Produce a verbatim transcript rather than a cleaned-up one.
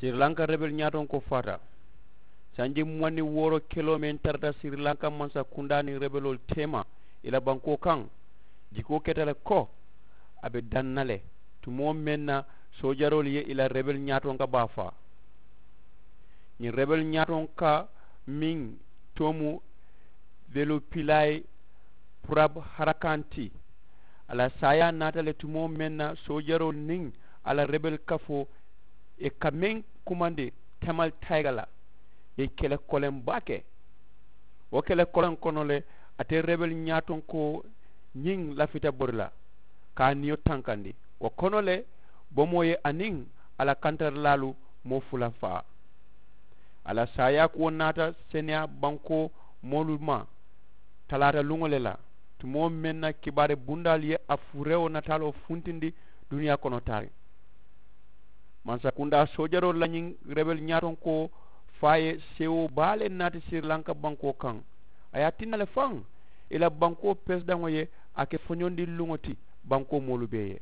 Sirilanka rebel ñaatonkoo faata. Sanji muwaŋ niŋ wooro keloo meŋ tarata sirilanka mansakundaa niŋ rebeloolu teema i la bankoo kaŋ, jikoo keta le ko a be daŋ na le tumoo meŋ na soojaroolu ye i la rebel ñaatonka baa faa. Ñiŋ rebel ñaatonka meŋ too mu velopilay purab harakanti, a la saayaa naata le tumoo meŋ na soojaroolu niŋ a la rebel kafoo ye ka meŋ kumandi tamal tayiga la, ye kele koleŋ baake. Wo kele koleŋ kono le, ate rebel ñaatonkoo ñiŋ lafita bori la ka a niyo tankandi. Wo kono le, bomoo ye a niŋ a la kantarilaalu moo fula faa. A la saayaa kuwo naata seneyaa bankoo moolu ma talaata luŋo le la, tumoo meŋ na kibaari bundaalu ye a furewo nataaloo funtindi duniyaa kono taariŋ. Mansakundaa soojaroolu la ñiŋ rebel ñaatonkoo faa ye seewoo baa le naati sirilanka bankoo kaŋ. A ye a tinna le faŋ i la bankoo peresidaŋo ye a ke foñondiŋ luŋo ti bankoo moolu bee ye.